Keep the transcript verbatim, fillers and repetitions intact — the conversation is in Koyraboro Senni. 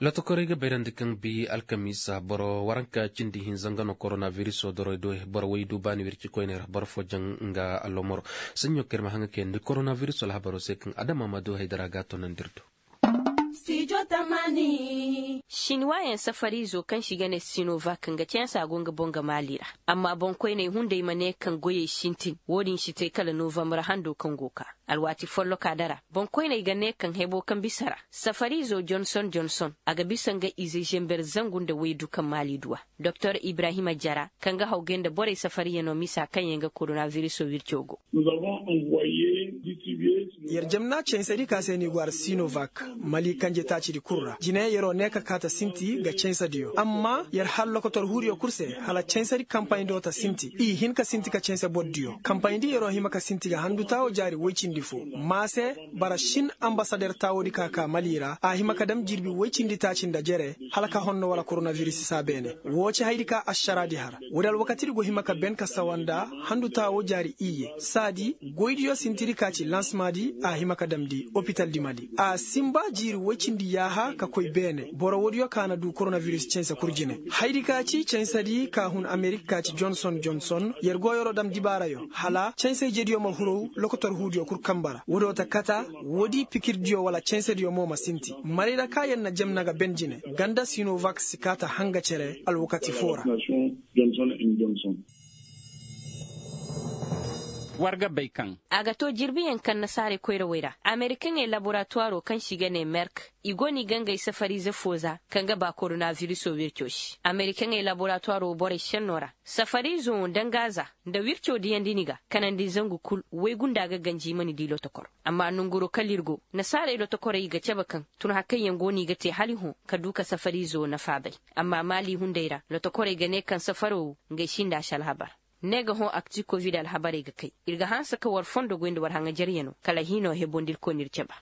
Lotokorey ga bayrandi kaŋ bi alkamiisa boro waranka cindi hinza nga no korona viriso doroy do boro way du baani wirci koyney ra boro fo jaŋ nga alomoro. Saɲɲo kaŋ ir ma haŋa kayandi korona viriso alhabaro se kaŋ adama ma du haydara ga a tonandi ir do. Sinwaayaŋ safariizo kaŋ se i ga ne sinovak nga cansa go nga boŋ ga maali ra. Amma boŋkoyney hunday ma ne kaŋ goyey sintin wo-din si te kala novambar hando kaŋ go ka. Alwaati folloka dara boŋkoyney ga ne kaŋ hebo kaŋ bisa ra safariizo jonson jonson a ga bisa nga ize zember zangu nda waydu kaŋ maali du a. Doktor ibrahima jara kaŋ ga hawgay nda borey safariyanoo misa kaŋ yaŋ ga koronabiriso wirco go. Yer jamna cansadi ka se ni go ara sinovak mali kanje taacidi kul ra jine yeroo ne ka kaata sinti ga cansadiyo amma yer har lokotor huudiyo kul se hala cansadi kampayndoo ta sinti i hin ka sinti ka canse bordiyo kampayndi yeroo hima ka sinti ga handu taawo jaari woy cindi fo. Maa se bara sin ambasader taawoodi ka ka mali ra a hima ka dam jirbi woy cindi taaci nda jere hala ka honno wala koronabiris saa beene. Woo ci hayadi ka ašaraadi har woodi alwakatidi go hima ka ben ka sawa nda handu taawo jaari iyye saadi goydiyo sintidi ka ci lansmaadi a hima ka damndi opitaldi mali a sinba jiiri woy cindi yaaha ka koy beene boro woodiyo ka na du koronabiris canse kul jine. Hayadi ka ci cansedi ka hun amerik ka ci jonson jonson yer go yeroo dam dibaarayo hala canse ijediyo ma huru lokotor huudiyo kul kamba ra woodiyo ta kata woodi pikirdiyo wala cansediyo mo ma sinti marayra ka yer na jamna ga ben jine ganda sinovak si kaa ta hanga cere alwakati foo ra. War ga bay kaŋ a ga too jirbiyaŋ kaŋ nasaarey koyrawey ra amerikaŋey laboratuwaroo kaŋ se i ga ne merk i go no i ga ngey safariize foo za kaŋ ga ba koronabirisoo wircoo se amerikaŋey laboratuwaroo borey šennoo ra. Safariizoo nda nga za nda wircoo diyandi ni ga kanandi zangu kul woy gunda ga ganji i ma ni dii lotokor. Amma nonguroo kala ir go nasaarey lotokorey i ga cabe kaŋ tun har kaŋyaŋ go no i ga tee hala i hõ ka du ka safariizoo nafa bay. Amma maali hunday ra lotokorey ga ne kaŋ safaroo wo ngey sinda si alhabar. Ne ga hõ akti kovid alhabarey ga kay ir ga hanse ka war fondo goy nda war haŋajaryanoo kala hiinoo heboo nda ir koy no ir cabe.